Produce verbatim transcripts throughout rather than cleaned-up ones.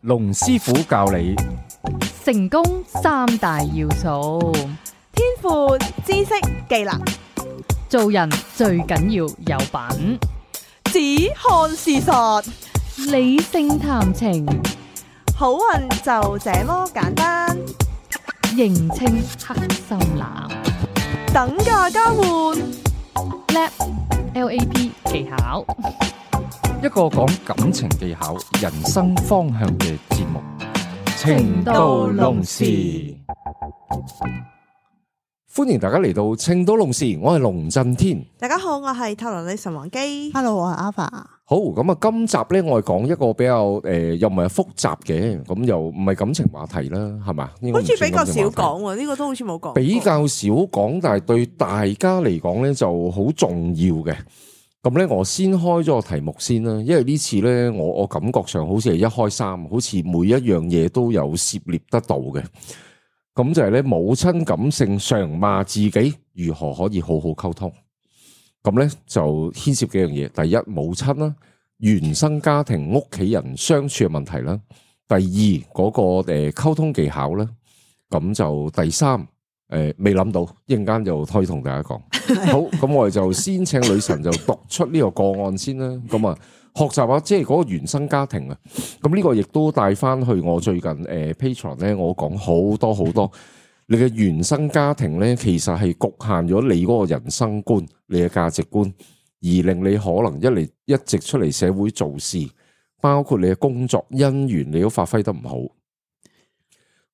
龍師傅教你成功三大要素，天賦、知識、技能，做人最緊要有品，只看事實，理性談情，好運就這麼簡單。認清黑心男，等價交換， L A P L A P 技巧，一個講感情技巧、人生方向嘅節目《情到濃時》。歡迎大家嚟到《情到濃時》，我係龍震天。大家好，我係塔羅女神王姬。Hello， 我係 Alpha。好，咁啊，今集咧我係講一個比較誒、呃，又唔係複雜嘅，咁又唔係感情話題啦，係嘛？好似比較少講喎，呢、這個都好似冇講。比較少講，但係對大家嚟講咧就好重要嘅。咁咧，我先開咗個題目先啦，因為呢次咧，我我感覺上好似係一開三，好似每一樣嘢都有涉獵得到嘅。咁就係咧，母親感性常罵自己，如何可以好好溝通？咁咧就牽涉幾樣嘢。第一，母親啦，原生家庭屋企人相處嘅問題啦。第二，嗰個誒溝通技巧啦。咁就第三，誒未諗到，一陣間就可以同大家講。好，咁我哋就先請女神就讀出呢個個案先啦。咁啊，學習下即係嗰個原生家庭啊。咁呢個亦都帶翻去我最近誒 Patreon 咧，我講好多好多。你嘅原生家庭咧，其實係局限咗你嗰個人生觀、你嘅價值觀，而令你可能一嚟一直出嚟社會做事，包括你嘅工作姻緣，你都發揮得唔好。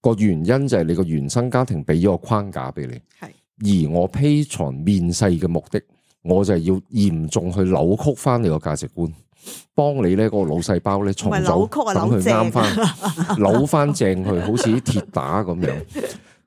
個原因就係你個原生家庭俾咗個框架俾你，係而我 Patreon 面世嘅目的，我就係要嚴重去扭曲翻你個價值觀，幫你咧嗰個腦細胞咧重組，等佢啱翻，扭翻正佢，好似啲鐵打咁樣。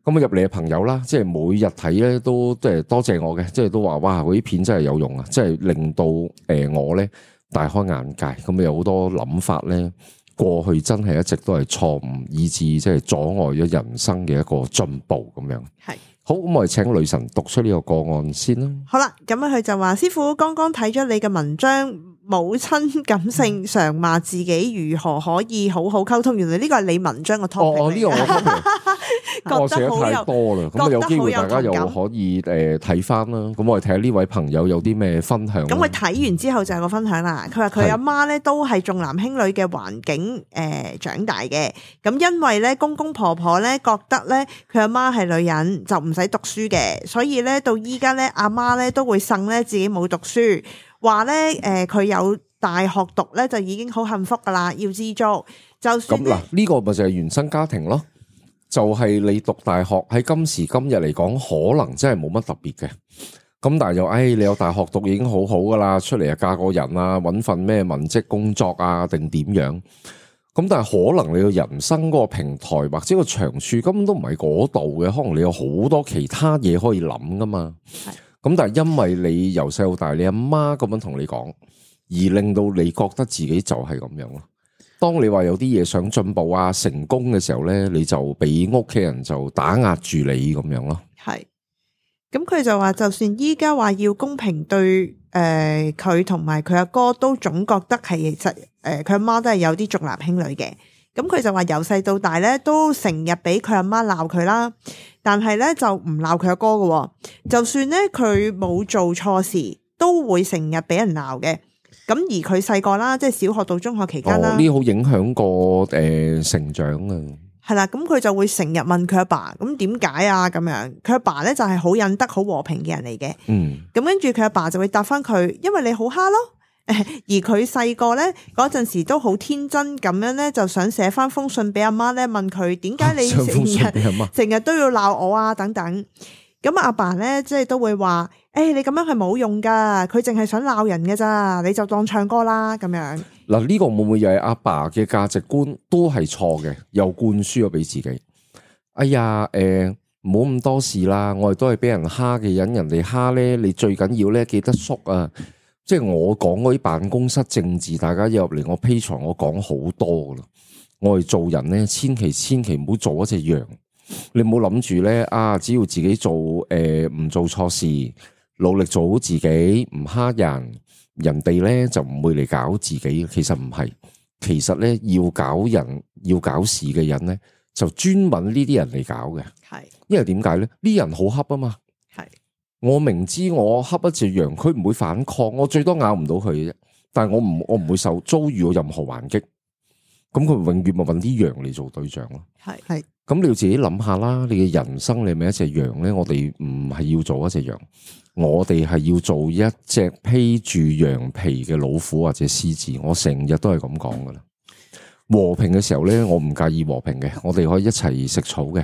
咁啊入嚟嘅朋友啦，即係每日睇咧都即係多謝我嘅，即係都話哇嗰啲片真係有用啊，即係令到誒我咧大開眼界。咁有好多諗法咧，過去真係一直都係錯誤，以致即係阻礙咗人生嘅一個進步咁樣。係好，咁我哋請女神讀出呢個個案先啦。好啦，咁佢就話師傅剛剛睇咗你嘅文章。母親感性常罵自己，如何可以好好溝通？原來呢個係你文章嘅 topic。哦，呢、這個我 topic， 我寫得太多啦。咁有機會大家又可以誒睇翻啦。咁我哋睇下呢位朋友有啲咩分享。咁佢睇完之後就係個分享啦。佢話佢阿媽咧都係重男輕女嘅環境誒、呃、長大嘅。咁因為咧公公婆婆咧覺得咧佢阿媽係女人就唔使讀書嘅，所以咧到依家咧阿媽咧都會呻咧自己冇讀書。話咧，誒，佢有大學讀咧，就已經好幸福噶啦，要知足。就算咁嗱，呢個咪就係原生家庭咯，就係你讀大學喺今時今日嚟講，可能真係冇乜特別嘅。咁但係又，誒，你有大學讀已經好好噶啦，出嚟啊嫁個人啊，搵份咩文職工作啊，定點樣？咁但係可能你個人生嗰個平台或者個長處根本都唔係嗰度嘅，可能你有好多其他嘢可以諗噶嘛。咁但係因為你由細到大，你阿媽咁樣同你講，而令到你覺得自己就係咁樣咯。當你話有啲嘢想進步啊、成功嘅時候咧，你就俾屋企人就打壓住你咁樣咯。係，咁佢就話，就算依家話要公平對誒佢同埋佢阿哥，都總覺得係其實誒佢阿媽都係有啲重男輕女嘅。咁佢就話由細到大咧，都成日俾佢阿媽鬧佢啦，但係咧就唔鬧佢阿哥嘅，就算咧佢冇做錯事，都會成日俾人鬧嘅。咁而佢細個啦，即係小學到中學期間啦，呢好影響過誒成長啊。係啦，咁佢就會成日問佢阿爸，咁點解啊？咁樣佢阿爸咧就係好忍得、好和平嘅人嚟嘅。嗯，咁跟住佢阿爸就會答翻佢，因為你好蝦咯。而佢細個咧嗰陣時都好天真咁樣咧，就想寫翻封信俾阿媽咧，問佢點解你成日成日都要鬧我啊等等。咁阿爸咧即係都會話，誒、欸、你咁樣係冇用噶，佢淨係想鬧人嘅咋，你就當唱歌啦咁樣。嗱，呢個會唔會又係阿爸嘅價值觀都係錯嘅，又灌輸咗俾自己？哎呀，誒唔好咁多事啦，我哋都係俾人蝦嘅人，人哋蝦咧，你最緊要咧記得縮啊！即係我講嗰啲辦公室政治，大家入嚟我 Patreon，我講好多噶啦。我哋做人咧，千祈千祈唔好做一隻羊。你唔好諗住咧啊，只要自己做誒唔、呃、做錯事，努力做好自己，唔蝦人，人哋咧就唔會嚟搞自己。其實唔係，其實咧要搞人要搞事嘅人咧，就專揾呢啲人嚟搞嘅。係，因為點解咧？呢人好恰啊嘛。係，我明知我恰一隻羊，佢唔會反抗，我最多咬唔到佢嘅啫。但係我唔我唔會受遭遇到任何還擊。咁佢永遠咪揾啲羊嚟做對象咯。係係。咁你要自己諗下啦，你嘅人生你係咪一隻羊咧？我哋唔係要做一隻羊，我哋係要做一隻披住羊皮嘅老虎或者獅子。我成日都係咁講噶啦。和平嘅時候咧，我唔介意和平嘅，我哋可以一齊食草嘅。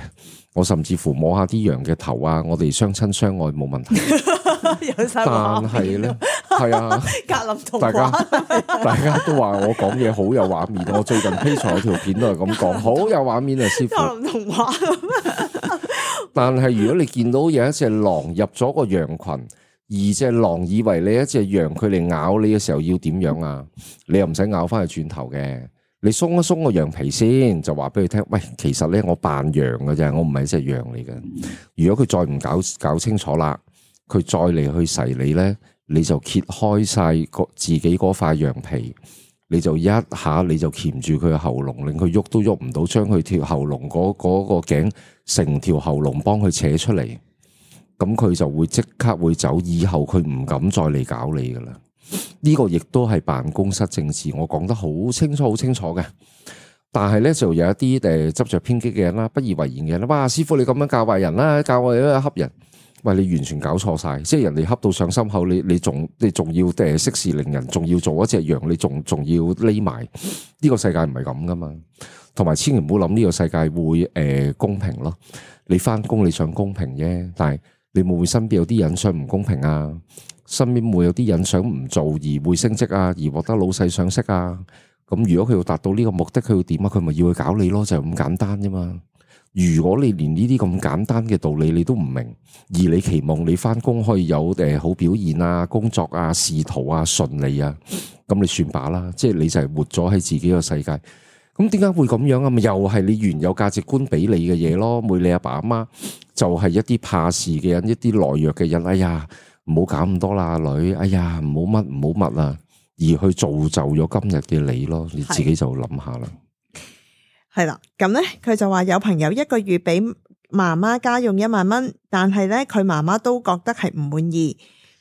我甚至乎摸下啲羊嘅頭啊，我哋相親相愛冇問題。有晒但係咧，係啊，格林童大家話，大家都話我講嘢好有畫面。我最近 Patreon 有條片都係咁講，好有畫面啊，師傅。格林童話。但係如果你見到有一隻狼入咗個羊群，而隻狼以為你一隻羊，佢嚟咬你嘅時候要點樣啊？你又唔使咬翻去轉頭嘅。你鬆一鬆個羊皮先，就話俾佢聽，喂，其實咧我扮羊嘅啫，我唔係一隻羊嚟嘅。如果佢再唔搞搞清楚啦，佢再嚟去噬你咧，你就揭開晒個自己嗰塊羊皮，你就一下你就鉗住佢嘅喉嚨，令佢喐都喐唔到，將佢條喉嚨嗰嗰個頸成條喉嚨幫佢扯出嚟，咁佢就會即刻會走，以後佢唔敢再嚟搞你噶啦。呢個亦都係辦公室政治，我講得好清楚好清楚嘅。但係咧就有一啲誒執着偏激嘅人啦，不以為然嘅人啦。哇，師傅你咁樣教壞人啦，教我哋恰人，喂，你完全搞錯晒，即係人哋恰到上心口，你你仲你仲要誒息事寧人，仲要做一隻羊，你仲仲要匿埋，呢個世界唔係咁噶嘛。同埋千祈唔好諗呢個世界會誒、呃、公平咯。你翻工你想公平啫，但係你會唔會身邊有啲人想唔公平啊？身邊會有啲人想唔做而會升職啊，而獲得老細賞識啊。咁如果佢要達到呢個目的，佢要點啊？佢咪要去搞你咯，就係咁簡單啫嘛。如果你連呢啲咁簡單嘅道理你都唔明，而你期望你翻工可以有誒好表現啊、工作啊、仕途啊順利啊，咁你算罷啦。即係你就係活咗喺自己個世界。咁點解會咁樣啊？咪又係你原有價值觀俾你嘅嘢咯。每你阿爸阿媽就係一啲怕事嘅人，一啲懦弱嘅人。哎呀，唔好搞咁多啦，女。哎呀，唔好乜唔好乜啊，而去造就咗今日嘅你咯。你自己就諗下啦。係啦，咁咧佢就話有朋友一個月俾媽媽家用一萬蚊，但係咧佢媽媽都覺得係唔滿意。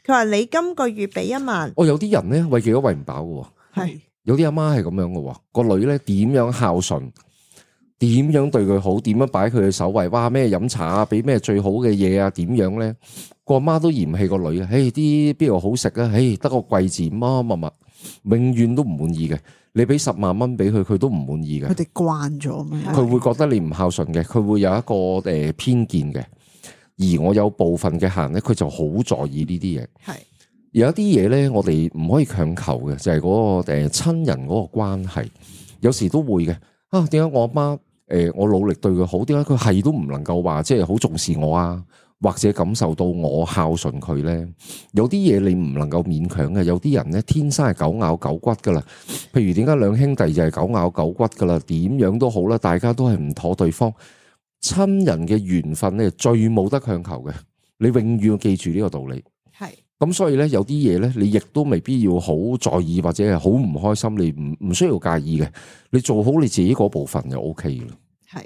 佢話你今個月俾一萬，哦，有啲人咧餵幾多餵唔飽嘅，係有啲阿媽係咁樣嘅，個女咧點樣孝順，點樣對佢好，點樣擺佢嘅首位，哇咩飲茶啊，俾咩最好嘅嘢啊，點樣咧個阿媽都嫌棄個女啊，誒啲邊度好食啊，誒得個貴字乜乜乜，永遠都唔滿意嘅。你俾十萬蚊俾佢，佢都唔滿意嘅。佢哋慣咗咩？佢會覺得你唔孝順嘅，佢會有一個誒偏見嘅。而我有部分嘅客人咧，佢就好在意呢啲嘢。係有一啲嘢咧，我哋唔可以強求嘅，就係嗰個誒親人嗰個關係。有時都會嘅。啊，點解我阿媽誒我努力對佢好，點解佢係都唔能夠話即係好重視我啊？或者感受到我孝順佢咧，有啲嘢你唔能夠勉強嘅。有啲人咧天生係狗咬狗骨噶啦。譬如點解兩兄弟就係狗咬狗骨噶啦？點樣都好啦，大家都係唔妥對方。親人嘅緣分咧最冇得強求嘅，你永遠要記住呢個道理。係咁，所以咧有啲嘢咧，你亦都未必要好在意或者係好唔開心，你唔唔需要介意嘅。你做好你自己嗰部分就 O K 啦。係。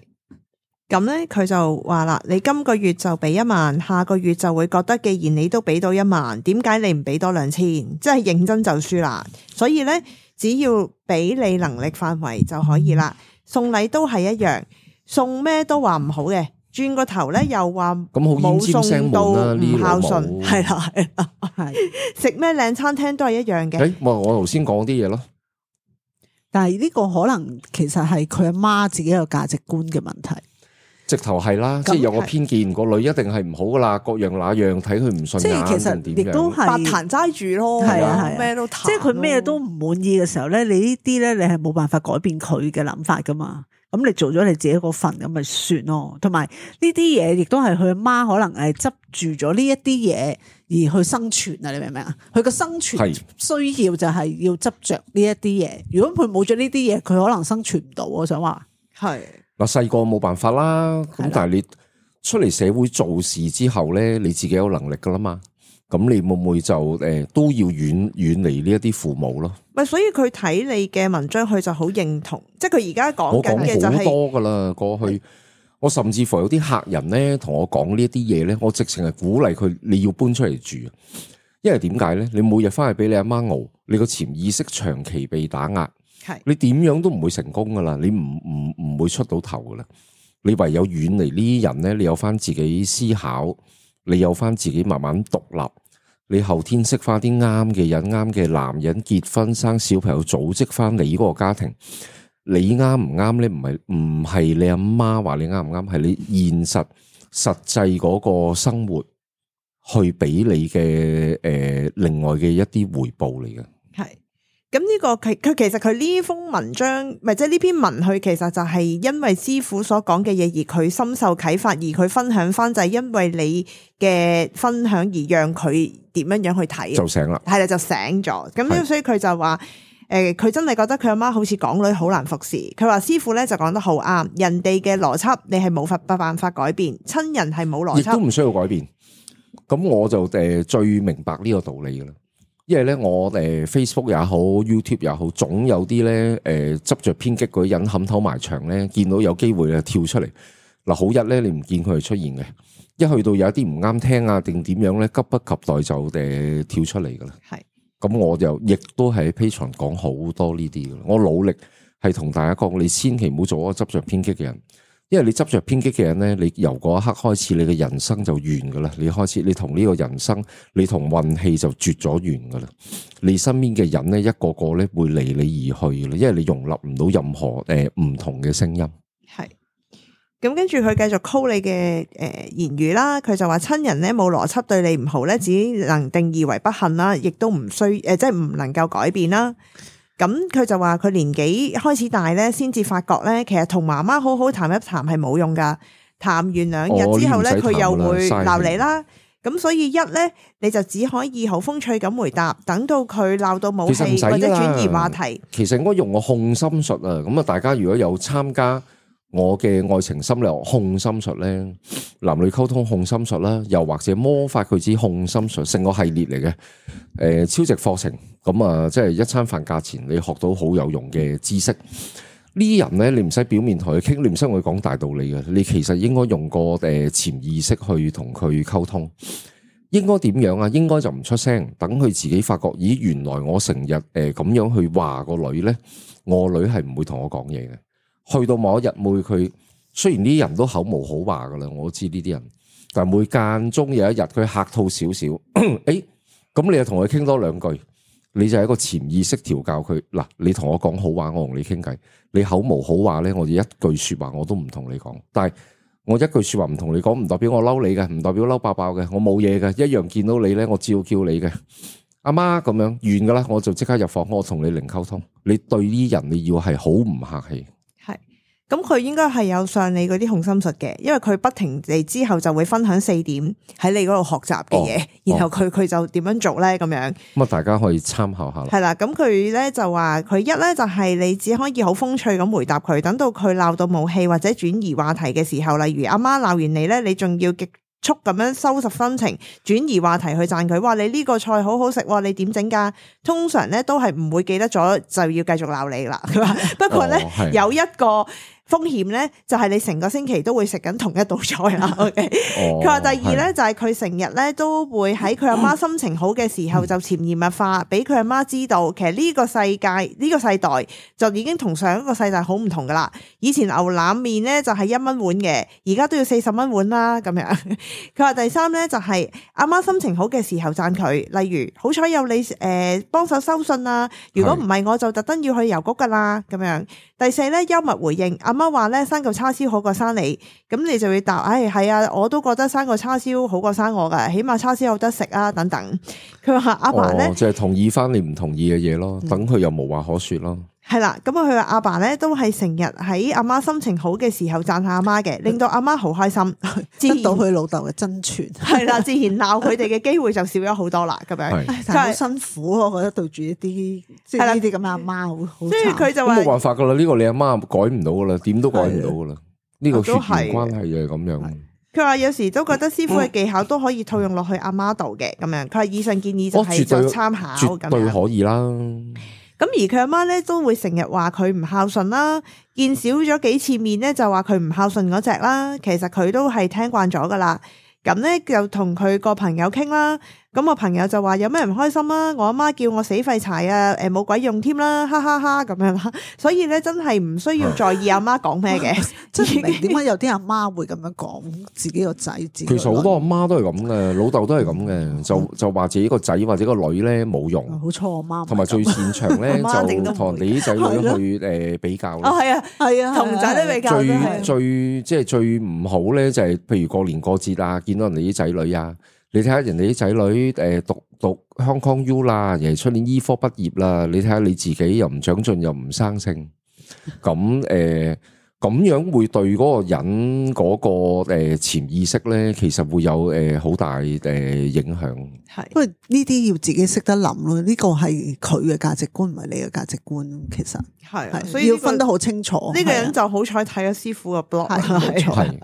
咁咧，佢就話啦，你今個月就俾一萬，下個月就會覺得，既然你都俾到一萬，點解你唔俾多兩千？即係認真就輸啦。所以咧，只要俾你能力範圍就可以啦。送禮都係一樣，送咩都話唔好嘅，轉個頭咧又話冇送到唔孝順，係啦係啦，係食咩靚餐廳都係一樣嘅。誒，我我頭先講啲嘢咯，但係呢個可能其實係佢阿媽自己有價值觀嘅問題。直頭係啦，即係有個偏見，個女一定係唔好噶啦，各樣那樣睇佢唔順眼，即係其實亦都係白壇齋住咯，係啊係咩都談，即係佢咩都唔滿意嘅時候咧，你呢啲咧你係冇辦法改變佢嘅諗法噶嘛。咁你做咗你自己嗰份咁咪算咯。同埋呢啲嘢亦都係佢阿媽可能係執住咗呢一啲嘢而去生存啊！你明唔明啊？佢個生存需要就係要執着呢一啲嘢。如果佢冇咗呢啲嘢，佢可能生存唔到。我想話係。嗱，細個冇辦法啦，咁但係你出嚟社會做事之後咧，你自己有能力噶啦嘛，咁你會唔會就誒、呃、都要遠遠離呢一啲父母咯？咪所以佢睇你嘅文章，佢就好認同，即係佢而家講緊嘅就係好多噶啦。過去我甚至乎有啲客人咧同我講呢一啲嘢咧，我直情係鼓勵佢你要搬出嚟住，因為點解咧？你每日翻去俾你阿媽熬，你個潛意識長期被打壓，係你點樣都唔會成功噶啦，你唔唔唔會出到頭噶啦。你唯有遠離呢啲人咧，你有翻自己思考，你有翻自己慢慢獨立。你後天識翻啲啱嘅人，啱嘅男人結婚生小朋友，組織翻你嗰個家庭。你啱唔啱咧？唔係唔係你阿媽話你啱唔啱，係你現實實際嗰個生活去俾你嘅誒、呃，另外嘅一啲回報嚟嘅。係咁呢個佢佢其實佢呢封文章，咪即係呢篇文，佢其實就係因為師傅所講嘅嘢，而佢深受啟發，而佢分享翻就係因為你嘅分享而讓佢點樣樣去睇，就醒啦，係啦，就醒咗。咁所以佢就話誒，佢、呃、真係覺得佢阿媽好似港女好難服侍。佢話師傅咧就講得好啱，人哋嘅邏輯你係冇法冇辦法改變，親人係冇邏輯，亦都唔需要改變。咁我就誒最明白呢個道理噶啦。因為咧，我誒 Facebook 也好 ，YouTube 也好，總有啲咧誒執着偏激嗰啲人冚頭埋牆咧，見到有機會咧跳出嚟。嗱，好日咧你唔見佢係出現嘅，一去到有一啲唔啱聽啊，定點樣咧，急不及待就誒跳出嚟噶啦。係，咁我就亦都係喺 Patreon 講好多呢啲噶啦。我努力係同大家講，你千祈唔好做一個執着偏激嘅人。因為你執着偏激嘅人咧，你由嗰一刻開始，你嘅人生就完噶啦。你開始，你同呢個人生，你同運氣就絕咗緣噶啦。你身邊嘅人咧，一個個咧會離你而去噶啦，因為你容納唔到任何誒唔同嘅聲音。係，咁跟住佢繼續 call 你嘅誒言語啦。佢就話親人咧冇邏輯對你唔好咧，只能定義為不幸啦，亦都唔需誒，即係唔能夠改變啦。咁佢就話佢年紀開始大咧，先至發覺咧，其實同媽媽好好談一談係冇用噶。談完兩日之後咧，佢、哦、又會鬧你啦。咁所以一咧，你就只可以好風趣咁回答，等到佢鬧到冇氣或者轉移話題。其實應該用個控心術啊。咁啊，大家如果有參加我嘅愛情心理學控心術咧，男女溝通控心術啦，又或者魔法佢知控心術，成個系列嚟嘅。誒、呃，超值課程。咁啊，即係一餐飯價錢，你學到好有用嘅知識。呢啲人咧，你唔使表面同佢傾，你唔使同佢講大道理嘅，你其實應該用個誒潛意識去同佢溝通。應該點樣啊？應該就唔出聲，等佢自己發覺，咦，原來我成日誒咁樣去話個女咧，我女係唔會同我講嘢嘅。去到某一日，每佢雖然呢啲人都口無好話噶啦，我都知呢啲人，但係每間中有一日佢客套少少，誒，咁你又同佢傾多兩句。你就係一個潛意識調教佢嗱，你同我講好話，我同你傾偈。你口無好話咧，我哋一句說話我都唔同你講。但係我一句說話唔同你講，唔代表我嬲你嘅，唔代表嬲爆爆嘅，我冇嘢嘅，一樣見到你咧，我照叫你嘅。阿媽咁樣完噶啦，我就即刻入房，我同你零溝通。你對呢人你要係好唔客氣。係。咁佢應該係有上你嗰啲控心術嘅，因為佢不停地之後就會分享四點喺你嗰度學習嘅嘢，哦、然後佢佢、哦、就點樣做咧咁樣。咁啊，大家可以參考下啦。係啦，咁佢咧就話佢一咧就係你只可以好風趣咁回答佢，等到佢鬧到冇氣或者轉移話題嘅時候，例如阿媽鬧完你咧，你仲要極速咁樣收拾心情，轉移話題去讚佢，話你呢個菜好好食，你點整噶？通常咧都係唔會記得咗，就要繼續鬧你啦。佢話不過咧、哦、有一個風險咧，就係你成個星期都會食緊同一道菜啦。OK，佢話、哦、第二咧就係佢成日咧都會喺佢阿媽心情好嘅時候就潛移默化，俾佢阿媽知道，其實呢個世界呢、呢個世代就已經同上一個世代好唔同噶啦。以前牛腩麵咧就係一蚊碗嘅，而家都要四十蚊碗啦。咁樣，佢話第三咧就係阿媽心情好嘅時候讚佢，例如好彩有你誒幫手收信啊，如果唔係我就特登要去郵局噶啦。咁樣，第四咧幽默回應。阿媽話咧生嚿叉燒好過生你，咁你就會答，唉、哎，係啊，我都覺得生個叉燒好過生我噶，起碼叉燒有得食啊，等等。佢話阿爸咧，就係、是、同意翻你唔同意嘅嘢咯，等佢又無話可說咯。係啦，咁啊，佢話阿爸咧都係成日喺阿媽心情好嘅時候讚下阿媽嘅，令到阿媽好開心，得到佢老豆嘅真傳。係啦，自然鬧佢哋嘅機會就少咗好多啦。咁樣，但係好辛苦咯，我覺得對住一啲即係呢啲咁嘅阿媽好好。所以佢就話冇辦法噶啦，呢、這個你阿媽改唔到噶啦，點都改唔到噶啦。呢、這個血緣關係就係咁樣。佢話有時都覺得師傅嘅技巧都可以套用落去阿媽度嘅咁樣。佢話以上建議就係做參考咁樣，絕對可以啦。咁而佢阿媽咧都會成日話佢唔孝順啦，見少咗幾次面咧就話佢唔孝順嗰隻啦。其實佢都係聽慣咗噶啦。咁咧就同佢個朋友傾啦。咁我朋友就話有咩唔開心啊？我阿媽叫我死廢柴啊！誒冇鬼用添啦，哈哈哈咁樣啦。所以咧真係唔需要在意阿媽講咩嘅。真係唔明點解有啲阿媽會咁樣講自己個仔？自己其實好多阿媽都係咁嘅，老豆都係咁嘅，就就話自己個仔或者個女咧冇用。好錯我媽，同埋最擅長咧就同人哋啲仔女去誒比較。哦，係啊，係啊，同仔女比較。最最即係最唔好咧，就係譬如過年過節啊，見到人哋啲仔女啊。你睇下人哋啲仔女誒讀讀 Hong Kong U 啦，人哋出年醫科畢業啦，你睇下你自己又唔長進又唔生性，咁誒咁樣會對嗰個人嗰個誒潛意識咧，其實會有誒好大誒影響。係，因為呢啲要自己識得諗咯，呢個係佢嘅價值觀，唔係你嘅價值觀。其實係，所以要分得好清楚。呢個人就好彩睇咗師傅嘅 blog，係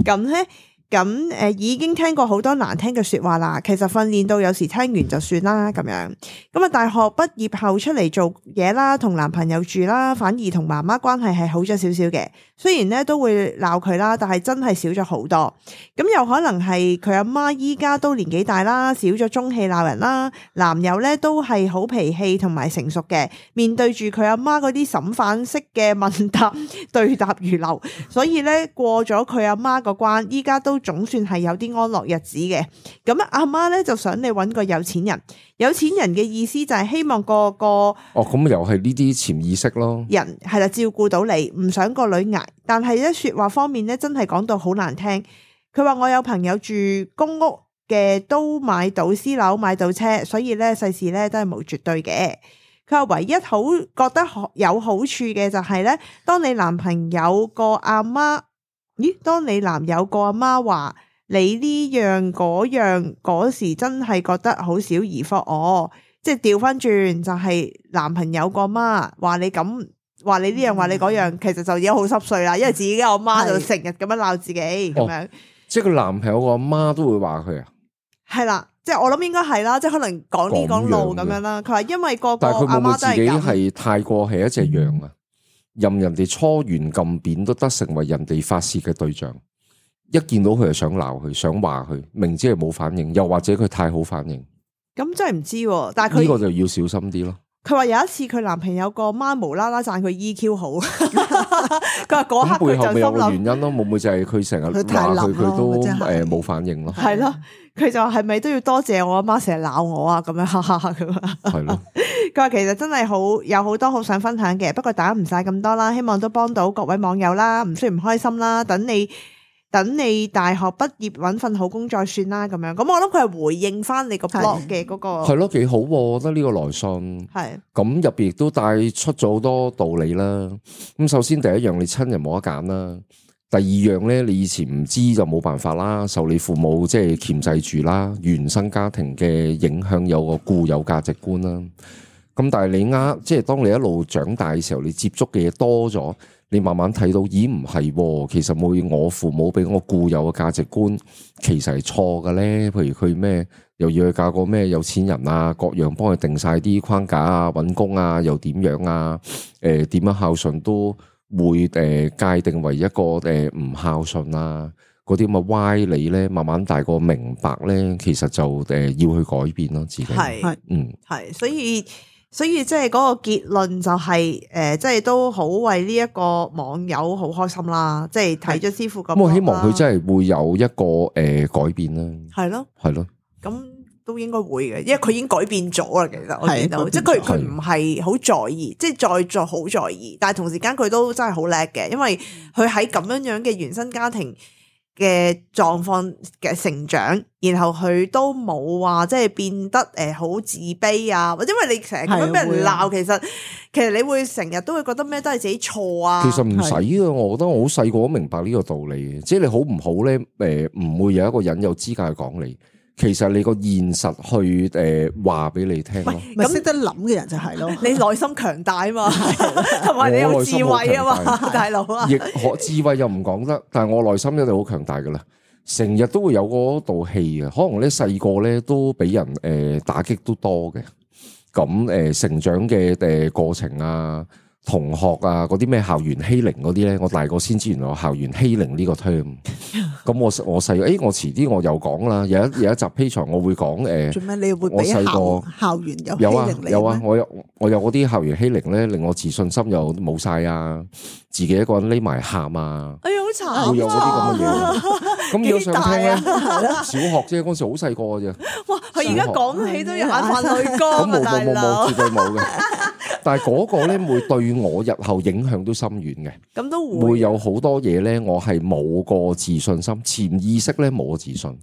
咁咧。咁誒已經聽過好多難聽嘅説話啦，其實訓練到有時聽完就算啦咁樣。咁啊，大學畢業後出嚟做嘢啦，同男朋友住啦，反而同媽媽關係係好咗少少嘅。雖然咧都會鬧佢啦，但係真係少咗好多。咁有可能係佢阿媽依家都年紀大啦，少咗中氣鬧人啦。男友咧都係好脾氣同埋成熟嘅，面對住佢阿媽嗰啲審犯式嘅問答對答如流，所以咧過咗佢阿媽個關，依家都總算係有啲安樂日子嘅。咁阿媽咧就想你揾個有錢人，有錢人嘅意思就係希望個個哦，咁又係呢啲潛意識咯。人係啦，照顧到你，唔想個女捱，但係咧說話方面咧真係講到好難聽。佢話我有朋友住公屋嘅都買到私樓買到車，所以咧世事咧都係冇絕對嘅。佢話唯一好覺得有好處嘅就係咧，當你男朋友個阿媽。咦？當你男友個阿媽話你呢樣嗰樣嗰時，真係覺得好小兒科哦。即係調翻轉就係男朋友個阿媽話你咁話你呢樣話你嗰樣，其實就已經好濕碎啦。因為自己個阿媽就成日咁樣鬧自己咁樣。即係個男朋友個阿媽都會話佢啊？係啦，即係我諗應該係啦，即係可能講呢講路咁樣啦。佢話因為個個阿媽都係咁。但係佢會唔會自己係太過係一隻羊啊？任人哋搓圓撳扁都得成為人哋發洩嘅對象，一見到佢就想鬧佢，想話佢，明知係冇反應，又或者佢太好反應，咁真係唔知。但係佢呢個就要小心啲咯。佢話有一次佢男朋友個媽無啦啦讚佢 E Q 好，佢話嗰刻背後咪有個原因咯，會唔會就係佢成日話佢佢都誒冇反應咯？係咯，佢就話係咪都要多謝我阿媽成日鬧我啊？咁樣哈哈咁啊，係咯。佢話其實真係好有好多好想分享嘅，不過打唔晒咁多啦，希望都幫到各位網友啦，唔需要唔開心啦，等你等你大學畢業揾份好工再算啦，咁樣。咁我諗佢係回應翻你個 blog 嘅嗰個係咯，幾好，我覺得呢個來信係咁入邊亦都帶出咗好多道理啦。咁首先第一樣，你親人冇得揀啦。第二樣咧，你以前唔知就冇辦法啦，受你父母即係鉗制住啦，原生家庭嘅影響有個固有價值觀啦。咁但係你啱，即係當你一路長大嘅時候，你接觸嘅嘢多咗，你慢慢睇到，咦唔係，其實冇我父母俾我固有嘅價值觀，其實係錯嘅咧。譬如佢咩，又要去嫁個咩有錢人啊，各樣幫佢定晒啲框架啊，搵工啊，又點樣啊？誒、呃，點樣孝順都會誒、呃、界定為一個誒唔、呃、孝順啊，嗰啲咁嘅歪理咧，慢慢大個明白咧，其實就誒、呃、要去改變咯，自己係係嗯係，所以。所以即係嗰個結論就係、是、誒，即係都好為呢一個網友好開心啦！即係睇咗師傅咁，我希望佢真係會有一個誒、呃、改變啦。係咯，係咯，咁都應該會嘅，因為佢已經改變咗啦。其實我見到，即係佢佢唔係好在意，即係再再好在意，但係同時間佢都真係好叻嘅，因為佢喺咁樣樣嘅原生家庭嘅狀況嘅成長，然後佢都冇話即係變得誒好自卑啊，或者因為你成日咁樣俾人鬧，其實其實你會成日都會覺得咩都係自己錯啊。其實唔使啊，我覺得我好細個都明白呢個道理嘅，即係你好唔好咧？誒，唔會有一個人有資格去講你。其實你個現實去誒話俾你聽咯，咁識得諗嘅人就係咯，你內心強大啊嘛，同埋你有智慧啊嘛，大佬啊，亦可智慧又唔講得，但係我內心一定好強大噶啦。成日都會有嗰道氣嘅，可能咧細個咧都俾人誒、呃、打擊都多嘅，咁誒、呃、成長嘅誒過程啊。同學啊，嗰啲咩校園欺凌嗰啲咧，我大個先知原來有校園欺凌呢個 term。咁我我細個，誒我遲啲我又講啦，有一有一集 Patreon 我會講誒。做咩你會俾校校園有欺凌你？有啊有啊，我有我有嗰啲校園欺凌咧，令我自信心又冇晒啊，自己一個人匿埋喊啊。哎呀好慘！會有嗰啲咁嘅嘢。咁如果想聽咧，小學啫，嗰時好細個嘅啫。哇！佢而家講起都有眼泛淚光啊，大佬。冇冇冇冇，絕對冇嘅。但係嗰個咧會對我日後影響都深遠嘅，咁都會會有好多嘢咧，我係冇個自信心，潛意識咧冇個自信。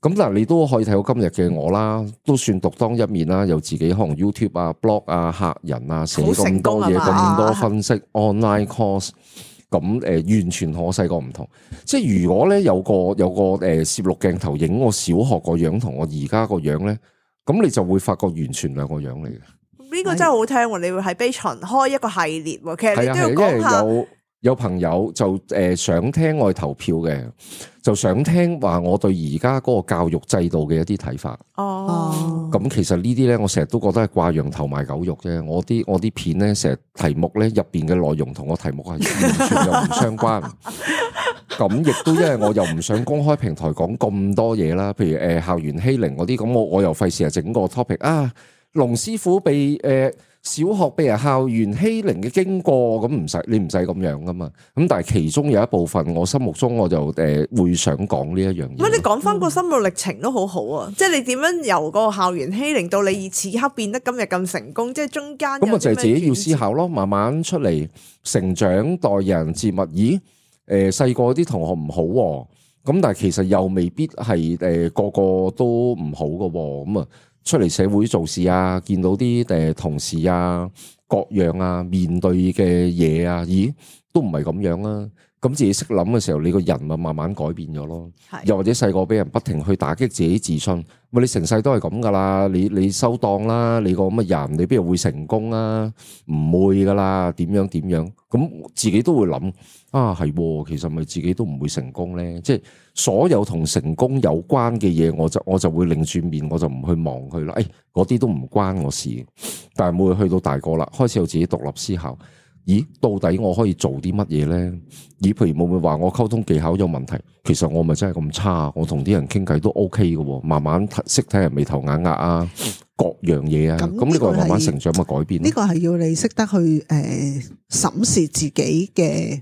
咁嗱，你都可以睇到今日嘅我啦，都算獨當一面啦，有自己可能 YouTube 啊、blog 啊、客人啊，寫咁多嘢，咁多分析 online course，咁誒、呃、完全同我細個唔同。即係如果咧有個有個誒攝錄鏡頭影我小學個樣同我而家個樣咧，咁你就會發覺完全兩個樣嚟嘅。呢個真係好聽喎！你會喺 Patreon 開一個系列喎，其實你都要講下。有有朋友就誒想聽我投票嘅，就想聽話我對而家嗰個教育制度嘅一啲睇法。哦，咁其實呢啲咧，我成日都覺得係掛羊頭賣狗肉啫。我啲我啲片咧，成日題目咧入邊嘅內容同個題目係完全又唔相關。咁亦都因為我又唔想公開平台講咁多嘢啦，譬如誒校園欺凌嗰啲，咁我我又費事係整個 topic 啊。龍師傅被誒、呃、小學被人校園欺凌嘅經過，咁唔使你唔使咁樣噶嘛。咁但係其中有一部分，我心目中我就誒、呃、會想講呢一樣嘢。咁你講翻個心路歷程都好好啊，嗯、即係你點樣由個校園欺凌到你此刻變得今日咁成功，即係中間咁啊就係自己要思考咯，慢慢出嚟成長，待人接物。咦誒細個啲同學唔好、啊，咁但係其實又未必係誒、呃、個個都唔好噶，咁啊。出嚟社會做事啊，見到啲誒同事啊，各樣啊，面對嘅嘢啊，咦，都唔係咁樣啊！咁自己識諗嘅時候，你個人咪慢慢改變咗咯。是又或者細個俾人不停去打擊自己自信，喂，你成世都係咁噶啦，你你收檔啦，你個咁嘅人，你邊度會成功啊？唔會噶啦，點樣點樣？咁自己都會諗啊，係，其實咪自己都唔會成功咧。即係所有同成功有關嘅嘢，我就我就會擰轉面，我就唔去望佢啦。誒、哎，嗰啲都唔關我事。但係每去到大個啦，開始有自己獨立思考。咦，到底我可以做啲乜嘢咧？咦，譬如會唔會話我溝通技巧有問題？其實我咪真係咁差？我同啲人傾偈都 OK 嘅，慢慢識睇人眉頭眼額啊，各樣嘢啊。咁呢個係慢慢成長嘅改變。呢個係要你識得去誒審視自己嘅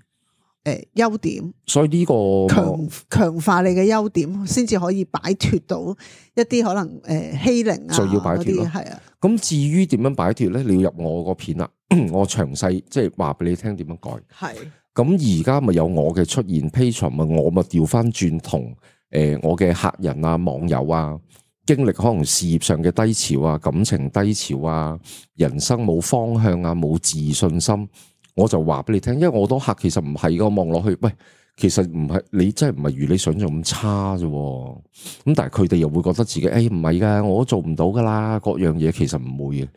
誒優點，所以呢個強強化你嘅優點，先至可以擺脫到一啲可能誒欺凌啊，就要擺脫咯。係啊。咁至於點樣擺脫咧？你要入我個片啦。我詳細即係話俾你聽點樣改，係咁而家咪有我嘅出現 Patreon 咪我咪調翻轉同誒我嘅客人啊網友啊經歷可能事業上嘅低潮啊感情低潮啊人生冇方向啊冇自信心，我就話俾你聽，因為我多客其實唔係噶，望落去喂，其實唔係你真係唔係如你想象咁差啫，咁但係佢哋又會覺得自己誒唔係噶，我都做唔到噶啦，各樣嘢其實唔會嘅。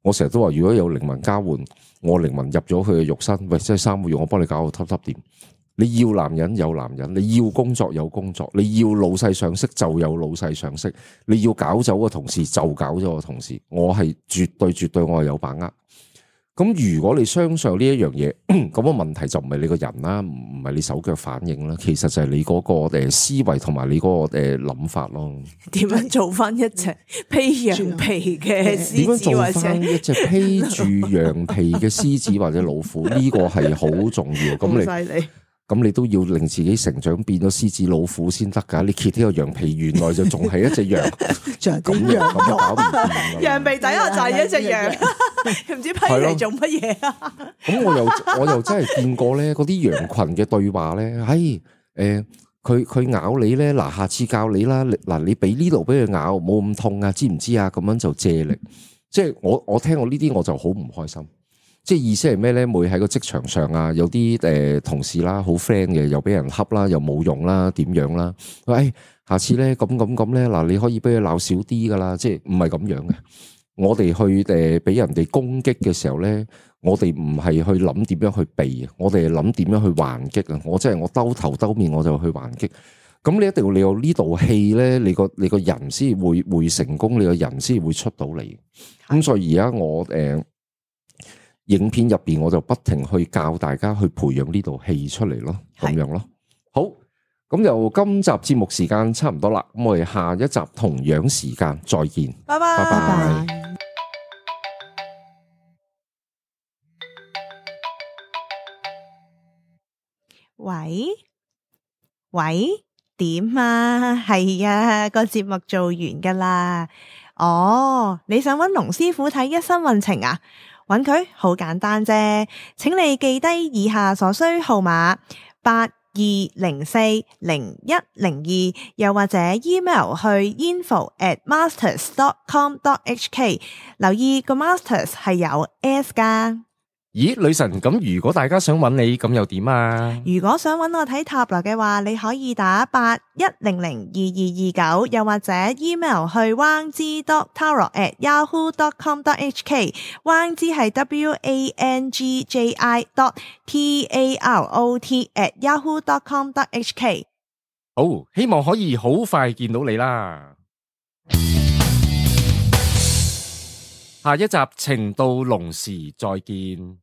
我成日都話，如果有靈魂交換，我靈魂入咗佢嘅肉身，喂，即係三個月，我幫你搞到揼揼掂。你要男人有男人，你要工作有工作，你要老細賞識就有老細賞識，你要搞走個同事就搞咗個同事，我係絕對絕對我係有把握。咁如果你相信呢一樣嘢，咁個問題就唔係你個人啦，唔係你手腳反應啦，其實就係你嗰個誒思維同埋你嗰個誒諗法咯。點樣做翻一隻披羊皮嘅獅子，或者點樣做翻一隻披住羊皮嘅獅子或者老虎？呢個係好重要。咁你咁你都要令自己成長變咗獅子老虎先得噶。你揭呢個羊皮，原來就仲係一隻羊，咁樣咁就搞唔掂。羊皮底下就係一隻羊，唔知批嚟做乜嘢啊？咁我又我又真係見過咧，嗰啲羊群嘅對話咧，唉，誒，佢佢咬你咧，嗱，下次教你啦，嗱，你俾呢度俾佢咬，冇咁痛啊，知唔知啊？咁樣就借力，即係我我聽過呢啲我就好唔開心。即係意思係咩咧？每喺個職場上啊，有啲誒同事啦，好 friend 嘅，又俾人恰啦，又冇用啦，點樣啦？喂，下次咧咁咁咁咧，嗱，你可以俾佢鬧少啲噶啦，即係唔係咁樣嘅。我哋去誒俾人哋攻擊嘅時候咧，我哋唔係去諗點樣去避，我哋係諗點樣去還擊啊！我即係我兜頭兜面我就去還擊。咁你一定要你有呢道氣咧，你個你個人先會會成功，你個人先會出到嚟。咁所以而家我誒、呃、影片入邊我就不停去教大家去培養呢道氣出嚟咯，咁樣咯。好，咁就今集節目時間差唔多啦，咁我哋下一集同樣時間再見，拜拜拜拜。喂喂，點啊？係啊，個節目做完噶啦。哦，你想揾龍師傅睇一生運程啊？揾佢好簡單啫，請你記低以下所需號碼八二零四零一零二，又或者 email 去 info at masters dot com dot h k， 留意個 masters 係有 S 噶。咦，女神，咁如果大家想揾你，咁又點啊？如果想揾我睇塔羅嘅話，你可以打八一零零二二二九，又或者 email 去 wang ji dot tarot at yahoo dot com dot h k。wang ji 係 w a n g j i dot t a r o t at yahoo dot com dot h k。好，希望可以好快見到你啦。下一集情到濃時再見。